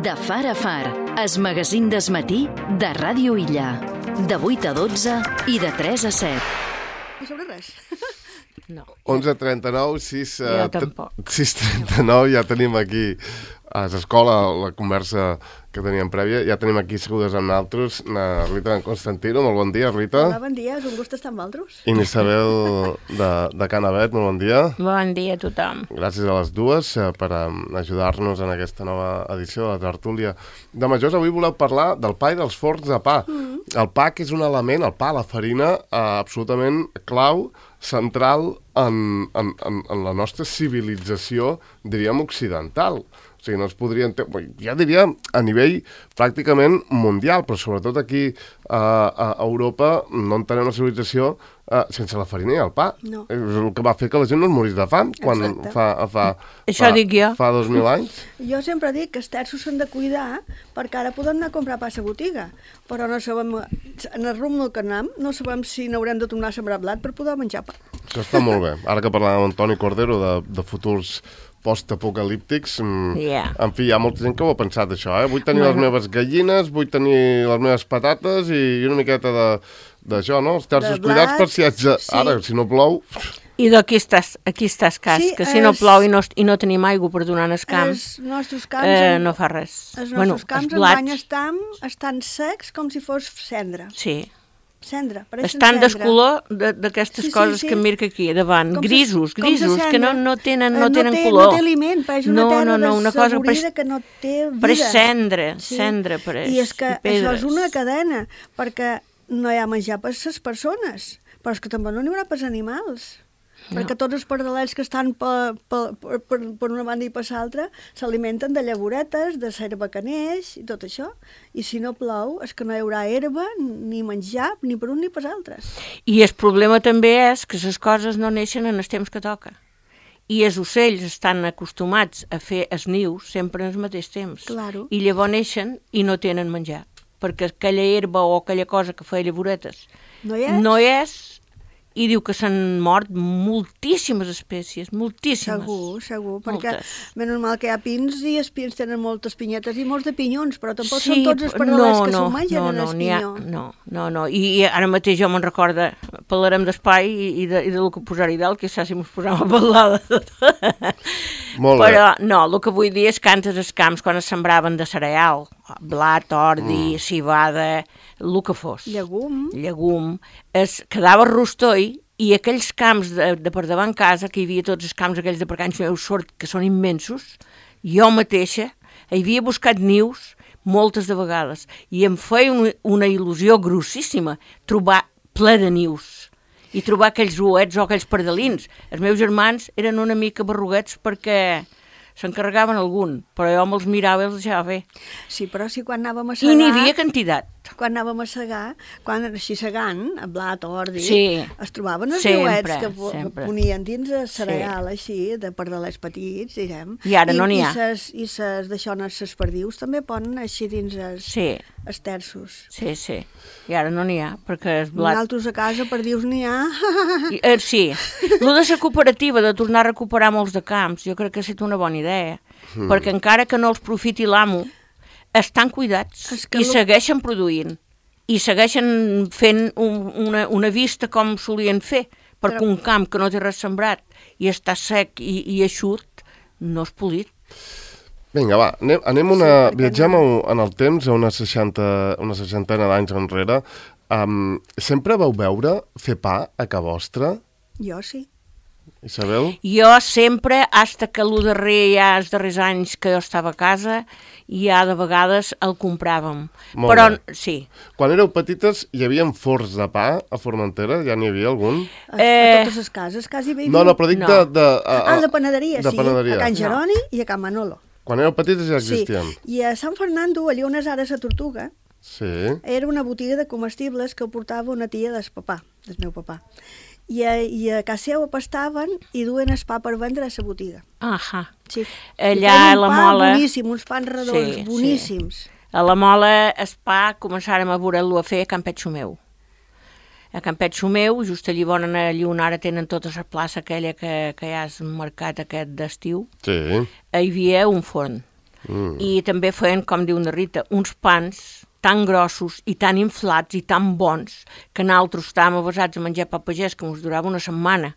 De far a far, es magazín desmatí de Ràdio Illa. De 8 a 12 i de 3 a 7. No sobre res. No. 11:39, 6... Jo tampoc. 6:39, ja tenim aquí a l'escola la conversa que teníem prèvia. Ja tenim aquí segudes amb nosaltres na Rita Constantino. Molt bon dia, Rita. Hola, bon dia, és un gust estar amb vosaltres. I Isabel de Canavet, molt bon dia. Bon dia a tothom. Gràcies a les dues per ajudar-nos en aquesta nova edició de la tertúlia de Majors. Avui voleu parlar del pa i dels forns de pa. El pa, que és un element, el pa, la farina, absolutament clau, central en la nostra civilització, diríem, occidental. O sigui, no es podria... Ja diria a nivell pràcticament mundial, però sobretot aquí a Europa no entenem la civilització sense la farina i el pa. No. És el que va fer que la gent no es morís de fam quan Això dic jo. Fa 2.000 anys. Jo sempre dic que els terços s'han de cuidar perquè ara podem anar a comprar pa a la botiga, però no sabem, en el rumb que anem, no sabem si n'haurem de tornar a sembrar blat per poder menjar pa. Això està molt bé. Ara que parlàvem amb Toni Cordero de futurs post-apocalíptics, en fi, hi ha molta gent que ho ha pensat, això, Vull tenir les meves gallines, vull tenir les meves patates i una miqueta d'això, no? Els terços cuidats per si haig de... Sí. Ara, si no plou... I d'aquí estàs cas, Sí, que si no plou i no tenim aigua per donar en els camps, Els nostres camps, no fa res. els nostres camps enguany estan secs com si fos cendra. Sí. Cendra, pareixen Estan cendra. descolor d'aquestes coses que em mirca aquí davant. Grisos, que no tenen color. No té aliment, pareix una terra una cosa desavorida que no té vida. Pareix cendra pareix. I és que això és una cadena, perquè no hi ha menjar per les persones, però és que també no n'hi haurà per als animals. Perquè tots els pardalets que estan per una banda i per l'altra s'alimenten de llavoretes, de l'herba que neix i tot això. I si no plou és que no hi haurà herba ni menjar ni per un ni per altres. I el problema també és que les coses no neixen en els temps que toca. I els ocells estan acostumats a fer els nius sempre en el mateix temps. Claro. I llavors neixen i no tenen menjar. Perquè aquella herba o aquella cosa que feia llavoretes no és. I diu que s'han mort moltíssimes espècies, moltíssimes. Segur, perquè menys mal que hi ha pins i els pins tenen moltes pinyetes i molts de pinyons, però tampoc són tots els pardalets que s'ho mengen en el pinyó. No, i ara mateix jo me'n recorda, parlarem d'espai i del que posar-hi dalt, que si mos posem a parlar de tot. Molt bé. Però no, el que vull dir és que antes els camps, quan es sembraven de cereal, blat, ordi, civada, el que fos. Llegum. Es quedava rostoi i aquells camps de per davant casa, que hi havia tots els camps aquells de per canys meus sort, que són immensos, jo mateixa hi havia buscat nius moltes de vegades i em feia una il·lusió grossíssima trobar ple de nius i trobar aquells ouets o aquells pardalins. Els meus germans eren una mica barruguets perquè s'encarregaven algun, però jo me'ls mirava i els deixava fer. Sí, però si quan anàvem a segar... I n'hi havia quantitat. Quan anàvem a segar, quan així segant, a blat o ordi, es trobaven els niuets que ponien dins el cereal, així, de pardalets petits, direm. I ara no n'hi ha. I ses d'aixones, ses perdius, també ponen així dins els terços. Sí. I ara no n'hi ha, perquè el blat... Nosaltres a casa perdius n'hi ha. Sí. Lo de la cooperativa, de tornar a recuperar molts de camps, jo crec que ha estat una bona idea, perquè encara que no els profiti l'amo, estan cuidats i segueixen produint i segueixen fent una vista com solien fer, perquè un camp que no té res sembrat i està sec i eixut no és polit. Vinga, va, viatgem en el temps a una seixantena d'anys enrere. Sempre vau veure fer pa a ca vostra? Jo sí. Isabel? Jo sempre, fins que els darrers anys que jo estava a casa, ja de vegades el compràvem. Però sí. Quan éreu petites hi havia forns de pa a Formentera? Ja n'hi havia algun? A totes les cases, quasi hi havia. No, però dic de panaderia, sí. Panaderia. A Can Jeroni i a Can Manolo. Quan éreu petites ja existien? Sí, i a Sant Fernando, allà on és ara la Tortuga, era una botiga de comestibles que portava una tia del meu papà. I a casa seva pastaven i duen el pa per vendre a la botiga. Sí. Allà a la Mola... Boníssim, uns pans redons, boníssims. A la Mola el pa començàrem a veure-lo a fer a Campet Xumeu. A Campet Xumeu, just allà on ara tenen tota la plaça aquella que hi ha al mercat aquest d'estiu, hi havia un forn. I també feien, com diu una Rita, uns pans tan grossos i tan inflats i tan bons que nosaltres estàvem avasats a menjar pa pagès que ens durava una setmana.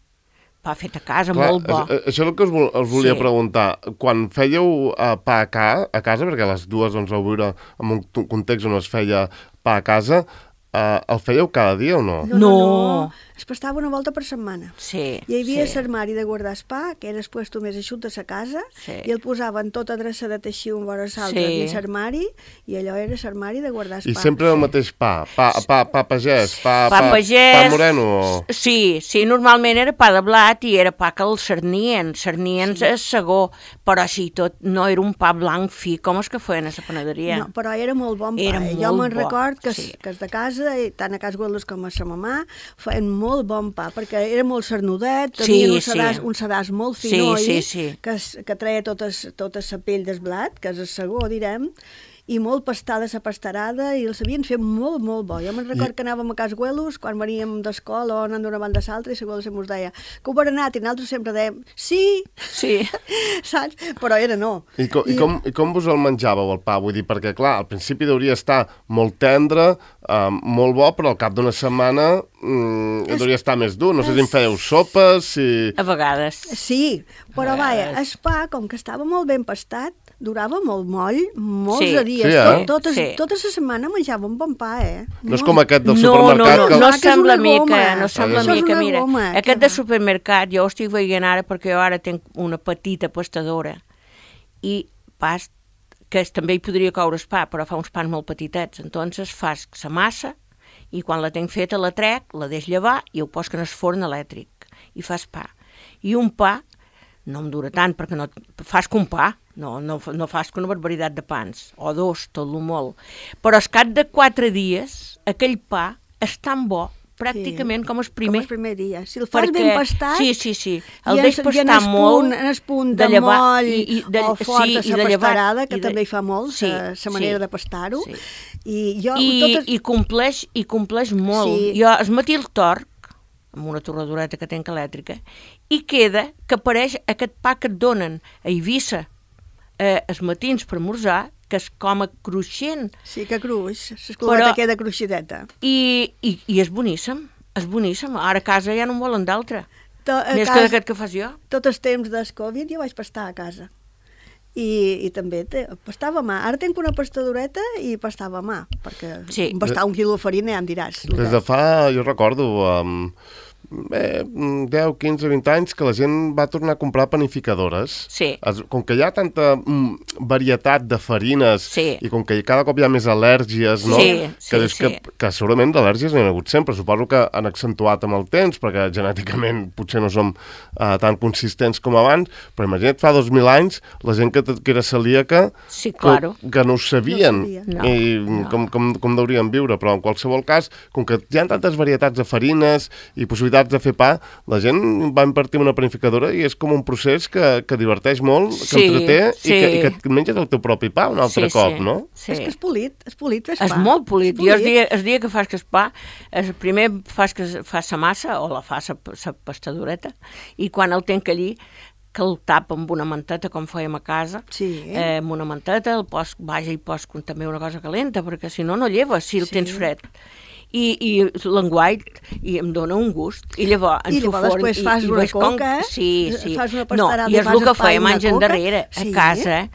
Pa fet a casa, clar, molt bo. Això és el que us volia preguntar. Quan fèieu pa a casa, perquè les dues doncs, vau viure en un context on es feia pa a casa, el fèieu cada dia o no? No. Es pastava una volta per setmana. Sí. Hi havia l'armari de guardar el pa, que era després tu més eixut de sa casa, i el posaven tot adreçadet així un vora l'altre dins l'armari, i allò era l'armari de guardar el pa. I sempre el mateix pa? Pa pagès? Pa moreno? Sí, normalment era pa de blat i era pa que el cernien és segó, però així tot no era un pa blanc fi com els que feien a la panaderia. No, però era molt bon pa. Jo me'n record que els de casa, tant a Cas Gueldes com a sa mamà, feien molt bon pa, perquè era molt cernudet, tenien un sedàs molt finoi, que treia tota la pell del blat, que és el segó, direm, i molt pastada la pastarada, i el sabien fer molt, molt bo. Jo me'n record que anàvem a Cas Güelos, quan veníem d'escola o anant d'una banda a l'altra, i la Güelos ens deia que ho van anat, i nosaltres sempre dèiem sí, saps? Però era no. I com vos el menjàveu, el pa? Vull dir, perquè, clar, al principi hauria estar molt tendre, molt bo, però al cap d'una setmana hauria estar més dur. No sé si en fèieu sopes, A vegades. Sí, però vaja, el pa, com que estava molt ben pastat, durava molt moll, molts dies. Tota la setmana menjava un bon pa, No és com aquest del supermercat. No sembla mica, mira. Aquest de supermercat, jo ho estic veient ara perquè jo ara tinc una petita pastadora i pas que també hi podria coure el pa, però fa uns pans molt petitets. Entonces fas la massa i quan la tinc feta la trec, la deix llevar i ho poso en el forn elèctric i fas pa. I un pa no em dura tant perquè no fas que un pa, no fas que una barbaritat de pans, o dos, tot lo molt. Però al cap de 4 dies, aquell pa és tan bo, pràcticament com el primer. Com el primer dia. Si el fas ben pastat... Sí. El deix pastar molt. En el punt de moll o fort de la pastarada, que també hi fa molt, la manera de pastar-ho. I compleix molt. Jo el matí el torc, amb una torradoreta que tenc elèctrica, i queda que apareix aquest pa que et donen a Eivissa els matins per esmorzar, que és com a cruixent. Sí, que cruix, l'esclubeta queda cruixideta. I és boníssim, Ara a casa ja no en volen d'altre, més que d'aquest que fas jo. Tot el temps del Covid jo vaig pastar a casa. I també pastava a mà. Ara tinc una pastadoreta i pastava a mà, perquè pastar 1 quilo de farina ja em diràs. Des de fa, jo recordo, 10, 15, 20 anys que la gent va tornar a comprar panificadores. Sí. Com que hi ha tanta varietat de farines i com que cada cop hi ha més al·lèrgies, no? Que segurament d'al·lèrgies n'hi ha hagut sempre. Suposo que han accentuat amb el temps, perquè genèticament potser no som tan consistents com abans, però imagina't fa 2.000 anys la gent que era celíaca que no ho sabien i com deurien viure, però en qualsevol cas, com que hi ha tantes varietats de farines i possibilitats de fer pa, la gent va invertir en una panificadora i és com un procés que diverteix molt, que entreté i que et menges el teu propi pa un altre cop, no? És que és polit fes pa. És molt polit. Jo el dia que fas que es pa, primer fas la massa o la fas la pastadoreta i quan el tenc allí que el tapa amb una manteta com fèiem a casa, amb una manteta el pos també una cosa calenta perquè si no lleves si el tens fred. I l'enguait i em dona un gust i llavors després fas una coca fas una pastarada i és el que fèiem anys endarrere a casa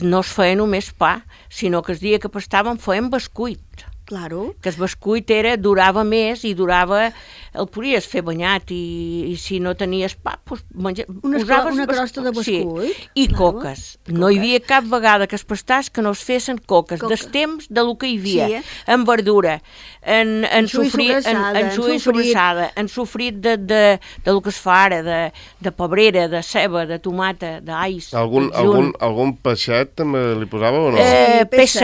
no es feia només pa sinó que el dia que pastàvem fèiem bescuit que el bescuit durava més i el podies fer banyat i si no tenies pa posaves una crosta de bescuit i coques. No hi havia cap vegada que es pastàs que no es fessin coques del temps de lo que hi havia en verdura, en sobrassada, en sofrit de lo que es fa ara de pebrera, de ceba, de tomata, d'ais. Algun peixet també li posava o no? Peix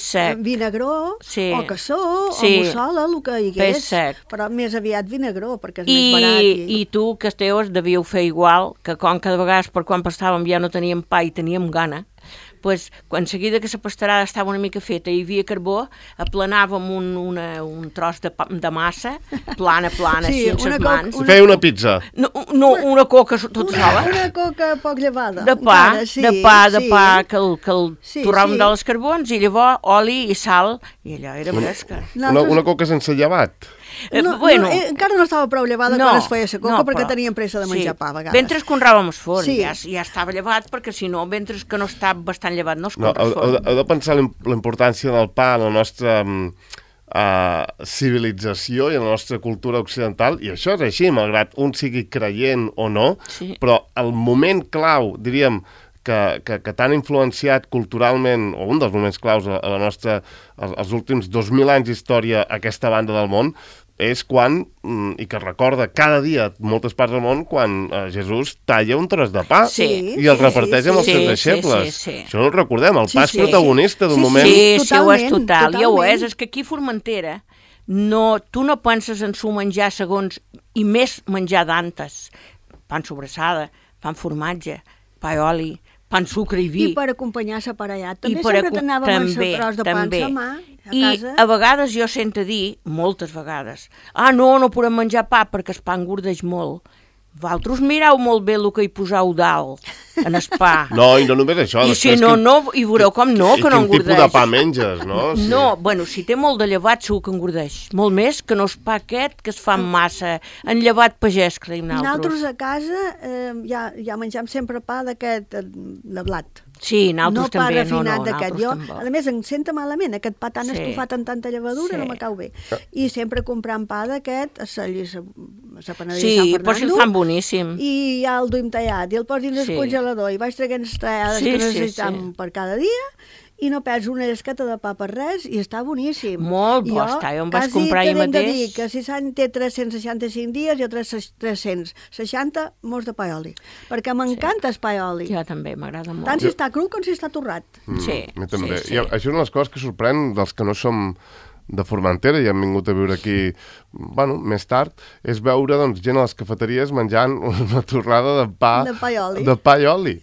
sec vinagró o cassó o mussola, el que hi hagués, però més aviat vinagró perquè és més barat. I tu, que els teus, devíeu fer igual, que com cada vegada per quan pastàvem ja no teníem pa i teníem gana, pues, quan seguida que la pastarada estava una mica feta i hi havia carbó, aplanàvem un tros de massa, plana, Sí, així, amb les mans. Si feia una pizza. No, una coca tota sola. Una coca poc llevada. De pa, encara, de pa, que el torràvem sí. dels carbons, i llavors oli i sal, i allò era fresca. Una coca sense llevat. Encara no estava prou llevada quan es feia la coca, perquè teníem pressa de menjar pa a vegades. Mentre es conràvem el forn, ja estava llevat, perquè si no, mentre que no està bastant llevat, no es conra el forn. Heu de pensar la importància del pa en la nostra civilització i en la nostra cultura occidental, i això és així, malgrat un sigui creient o no, però el moment clau, diríem, que t'han influenciat culturalment, o un dels moments claus a la nostra, als últims 2.000 anys d'història, aquesta banda del món, és quan, i que recorda cada dia moltes parts del món, quan Jesús talla un tros de pa i el reparteix amb els seus deixebles. Això no ho recordem, el pa és protagonista d'un moment. Sí, ho és total, ja ho és. És que aquí a Formentera tu no penses en su menjar segons, i més menjar d'antes. Pa amb sobrassada, pa amb formatge, pa i oli, pa amb sucre i vi. I per acompanyar l'aparellat. També sempre t'anàvem amb el tros de pa en la mà. I a vegades jo sento dir, moltes vegades, no podem menjar pa perquè el pa engordeix molt. Vosaltres mireu molt bé el que hi poseu dalt, en el pa. No, i no només això. I si no, i veureu com no, que no engordeix. I quin tipus de pa menges, no? No, bueno, si té molt de llevat segur que engordeix. Molt més que no és pa aquest, que es fa amb massa, en llevat pagès, creiem nosaltres. Nosaltres a casa ja mengem sempre pa d'aquest, de blat. Sí, nosaltres també. No pa refinat d'aquest. Jo, a més, em sento malament, aquest pa tan estufat amb tanta llevadura no me cau bé. I sempre comprant pa d'aquest, a la panaderia Sant Fernando. Sí, però si el fan boníssim. I ja el duim tallat, i el posin al congelador, i vaig traient les tallades que necessitam per cada dia, i no perds una llesqueta de pa per res, i està boníssim. Molt bo està, jo em vaig comprar ahir mateix. Quasi t'he de dir que si s'han té 365 dies, jo 360 mos de pa i oli, perquè m'encanta el pa i oli. Jo també, m'agrada molt. Tant si està cru com si està torrat. Sí, a mi també. I això és una de les coses que sorprèn dels que no som de Formentera i hem vingut a viure aquí, més tard, és veure gent a les cafeteries menjant una torrada de pa i oli.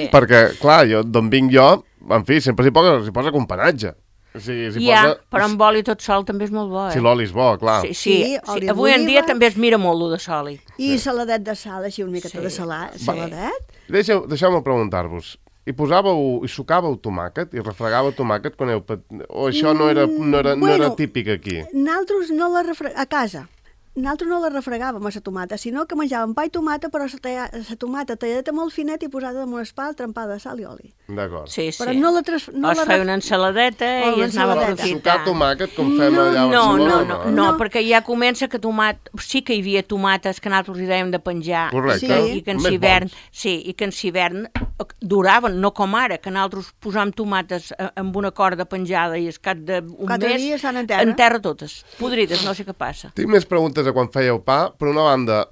Perquè, clar, d'on vinc jo, en fi, sempre s'hi posa companatge. Però amb oli tot sol també és molt bo, Si l'oli és bo, clar. Sí, avui en dia també es mira molt, de soli. I saladet de sal, així una miqueta de saladet. Deixeu-me preguntar-vos, i sucàveu tomàquet i refregàveu tomàquet quan o això no era típic aquí? Nosaltres no la refregàvem, a casa. Nosaltres no la refregàvem a la tomata, sinó que menjàvem pa i tomata, però la tomata talladeta molt finet i posada damunt el pa, trempada de sal i oli. D'acord. Sí. Però no la es feia una ensaladeta i es anava a aprofitar. Sucar tomàquet com fem allà a Barcelona? No, perquè ja comença que sí que hi havia tomates que nosaltres hi dèiem de penjar. Correcte. I que en hivern duraven, no com ara, que nosaltres posàvem tomates amb una corda penjada i es cap d'un mes en terra totes, podrides, no sé què passa. Tinc més preguntes a quan fèieu pa. Per una banda,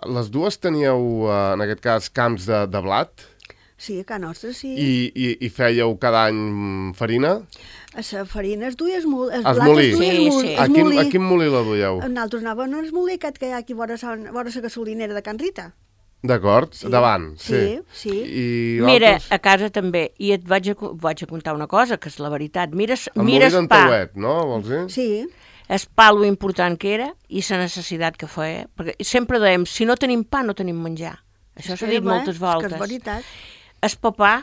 les dues teníeu, en aquest cas, camps de blat? Sí, a casa nostra, sí. I fèieu cada any farina? La farina es duia, el blat es molí. Sí. A quin molí la duieu? Nosaltres anàvem al molí aquest que hi ha aquí vora la gasolinera de Can Rita. D'acord, davant. Sí. Mira, a casa també, i et vaig a contar una cosa, que és la veritat. Mires molí d'en Tauet, no? Vols dir? Sí. És pa lo important que era i la necessitat que feia. Perquè sempre dèiem, si no tenim pa, no tenim menjar. Això s'ha dit moltes voltes. És que és veritat. El papà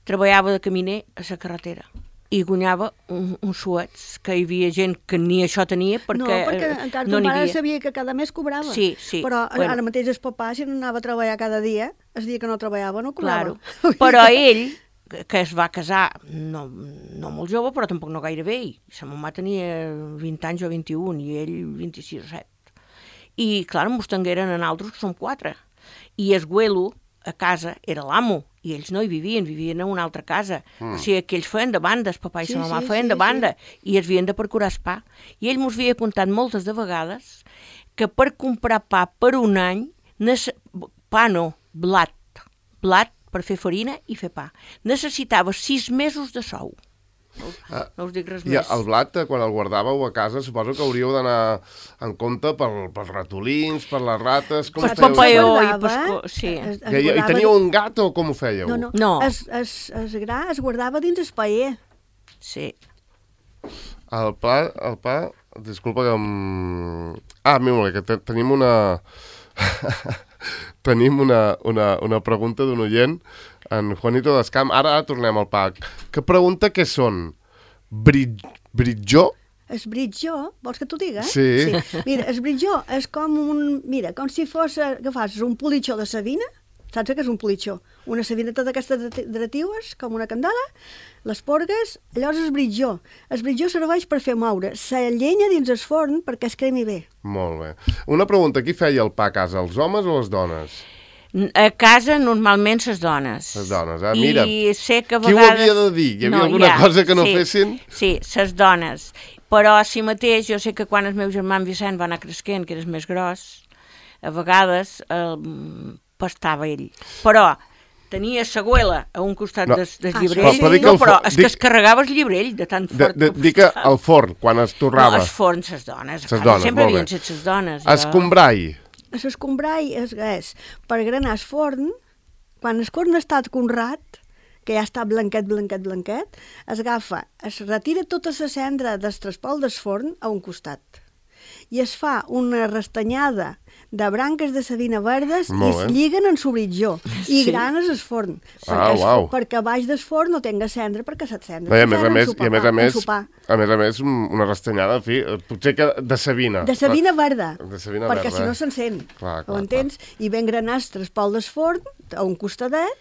treballava de caminer a la carretera i guanyava uns suets, que hi havia gent que ni això tenia perquè no encara ton pare sabia que cada mes cobrava. Sí. Però ara mateix el papà, si no anava a treballar cada dia, el dia que no treballava no cobrava. Claro. Però ell, que es va casar no molt jove, però tampoc no gaire vell. Sa mamà tenia 20 anys o 21 i ell 26 o 7. I, clar, mos tengueren a nosaltres, que som 4. I el güelo a casa era l'amo, i ells no hi vivien a una altra casa. O sigui, que ells feien de banda, el papà i la mamà feien de banda, i es havien de procurar el pa. I ell mos havia contat moltes de vegades que per comprar pa per un any, blat per fer farina i fer pa, necessitava 6 mesos de sou. No us dic res I més. el blat, quan el guardàveu a casa, suposo que hauríeu d'anar en compte pels ratolins, per les rates... Com Per fèieu? papeó i guardava, sí. I teníeu un gat o com ho fèieu? No. El gra es guardava dins el paller. Sí. El pa... Disculpa que... mira, que tenim una... tenim una pregunta d'un oient, en Juanito Descamp. Ara tornem al pa. Que pregunta què són? Britjó? El britjó, vols que t'ho diga? Sí. Mira, el britjó és com com si fos, agafes un politxó de savina, saps què és un politxó? Una savineta d'aquestes dretiues, com una candela, les porgues, llavors el britjó. El britjó serveix per fer moure la llenya dins el forn perquè es cremi bé. Molt bé. Una pregunta, qui feia el pa a casa, els homes o les dones? A casa normalment les dones. Les dones, mira. I sé que a vegades... Qui ho havia de dir? Hi havia alguna cosa que no fessin? Sí, les dones. Però si mateix, jo sé que quan el meu germà en Vicent va anar creixent, que era més gros, a vegades pastava ell. Però tenia seguela a un costat del llibrell, però és que es carregava el llibrell de tan fort que dic que al forn, quan es torrava. No, el forn, les dones. Sempre havien set les dones. Escombrai. L'escombrai és per granar el forn, quan el forn està conrat, que ja està blanquet, es agafa, es retira tota la cendra del trespol del forn a un costat i es fa una restanyada de branques de savina verdes i es lliguen en subritjó i granes el forn perquè baix del forn no tenga cendra perquè se't cendra. A més a més, una restanyada, en fi, potser que de savina. De savina verda, perquè si no s'encén, ho entens? I ben granats trespol del forn a un costadet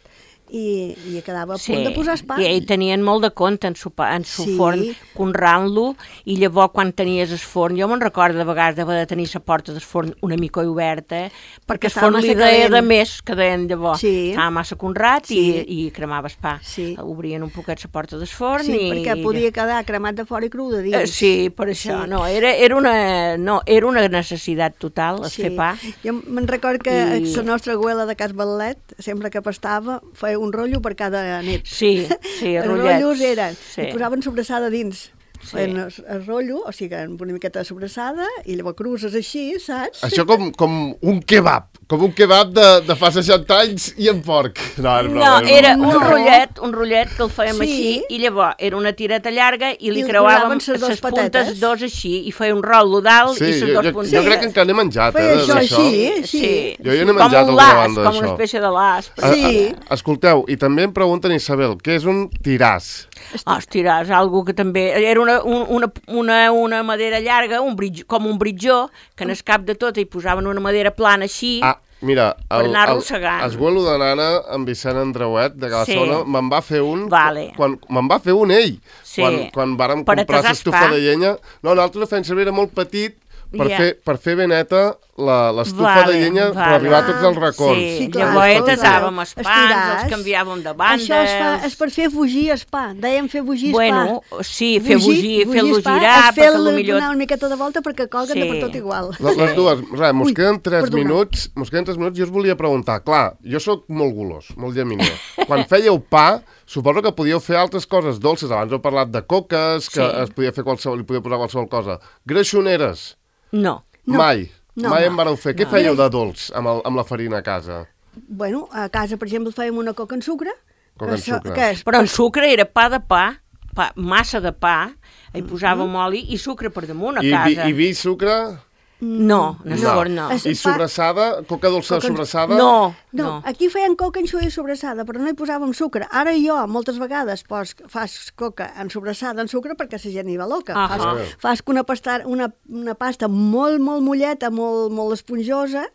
i quedava a punt de posar el pa. I tenien molt de compte en su forn, conrant-lo, i llavors quan tenies el forn, jo me'n recordo de vegades d'haver de tenir la porta del forn una mica oberta, perquè el forn li deia de més que deien llavors. Estava massa conrat i cremava el pa. Obrien un poquet la porta del forn. Sí, perquè podia quedar cremat de fora i cru de dins. Sí, per això. No, era una necessitat total, fer pa. Jo me'n recordo que la nostra abuela de Cas Ballet, sempre que pastava, feia un rotllo per cada nit. Sí, els rotllos eren, i posaven sobrassada dins. El rotllo, o sigui, amb una miqueta de sobrassada, i llavors cruces així, saps? Això com un kebab de fa 60 anys i en porc. No, era un rotllet que el fèiem així, i llavors era una tireta llarga i li creuàvem les puntes dos així, i feia un rotllo dalt i les dos puntes. Jo crec que encara n'he menjat, d'això. Sí. Jo ja n'he menjat alguna banda d'això. Com una espècie de l'as. Escolteu, i també em pregunten, Isabel, què és un tiràs? Els tiràs, algo que també... Era una madera llarga, com un britjó, que en el cap de tot hi posaven una madera plana així, mira, per anar arrossegant. El esguelo de nana amb Vicent Andreuet, de cada zona, me'n va fer un... Me'n va fer un ell. Quan vàrem comprar l'estufa de llenya. No, nosaltres ho fèiem servir, era molt petit, per fer ben neta l'estufa de llenya per arribar a tots els racons. Sí, llavors tasàvem els pans, els canviàvem de bandes... Això és per fer fugir el pa, dèiem fer fugir el pa. Bueno, sí, fer-lo girar, perquè potser... Donar una miqueta de volta perquè colguen de per tot igual. Les dues, mos queden 3 minuts, jo us volia preguntar, clar, jo sóc molt golós, molt llaminer. Quan fèieu pa, suposo que podíeu fer altres coses dolces, abans heu parlat de coques, que es podia fer li podia posar qualsevol cosa. Greixoneres? No. Mai en vareu fer. Què fèieu de dolç amb la farina a casa? Bueno, a casa, per exemple, fèiem una coca en sucre. Però en sucre era pa de pa, massa de pa, hi posàvem oli i sucre per damunt a casa. I vi i sucre? No, no. I sobrassada? Coca dolça sobrassada? No. Aquí feien coca en suï sobrassada, però no hi posàvem sucre. Ara jo, moltes vegades, fas coca en sobrassada en sucre perquè la gent hi va loca. Fas una pasta molt, molt molleta, molt esponjosa,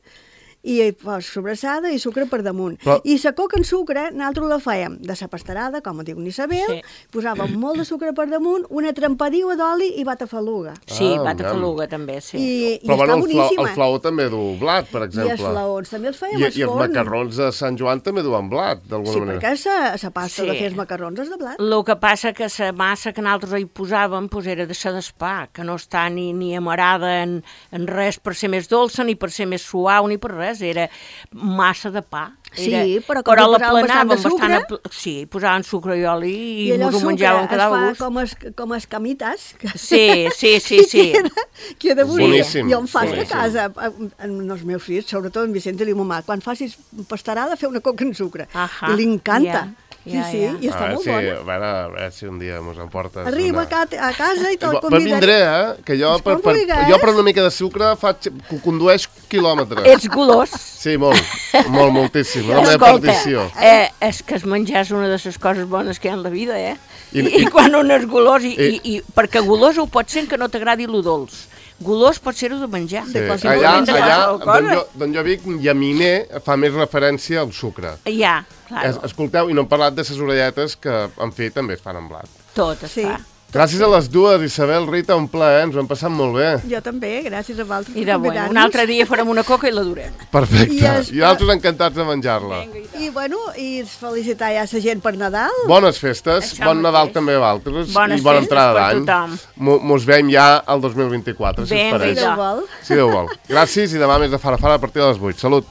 i fos sobrassada i sucre per damunt. I la coca en sucre, nosaltres la fèiem de la pastarada, com diu Isabel, posàvem molt de sucre per damunt, una trempadiua d'oli i batafaluga. Sí, batafaluga també, sí. I està boníssima. El flaó també du blat, per exemple. I els flaons també els fèiem al forn. I els macarrons de Sant Joan també duen blat, d'alguna manera. Sí, perquè la pasta de fer els macarrons és de blat. El que passa que la massa que nosaltres hi posàvem era de ser d'espà, que no està ni amarada en res per ser més dolça, ni per ser més suau, ni per res. saps? Era massa de pa. Sí, però com la posaven planàvem bastant de bastant... Sí, posaven sucre i oli i allò ens ho sucre menjàvem cada es gust. fa com escamitas. Sí. Queda bonic. Boníssim. Jo em faig a Boníssim. casa, amb els meus fills, sobretot en Vicent, li diu, mamà, quan facis pastarada, fer una coca en sucre. Ahà, I li encanta. ja, Sí, i està molt bona. A veure si un dia mos emportes Arriba a casa i te'l Però vindré, que jo Com vulguis. jo per una mica de sucre condueix quilòmetres. Ets golós. Sí, moltíssim. Una meva Escolta, perdició. és que es menjar és una de les coses bones que hi ha en la vida, I- I quan un és golós, perquè golós ho pot ser que no t'agradi lo dolç. Golós pot ser-ho de menjar. De Sí. qualsevol Allà, moment de qualsevol cosa. d'on jo vic, llaminer fa més referència al sucre. Ja, claro. Escolteu, i no hem parlat de ses orelletes que, en fi, també es fan amb blat. Tot es Sí. fa. Gràcies a les dues, Isabel, Rita, un plaer, ens ho hem passat molt bé. Jo també, gràcies a vosaltres I per de bueno, convidar-nos. un altre dia farem una coca i la durem. Perfecte. I altres encantats de menjar-la. I, bueno, i felicitar ja la gent per Nadal. Bones festes, Això bon Nadal mateix. també a vosaltres Bones i bona festes entrada per d'any. tothom. Mos veiem ja al 2024, si us Vinga, pareix. Si Déu vol. Si Déu vol. Gràcies i demà més de Fara Fara a partir de les 8. Salut.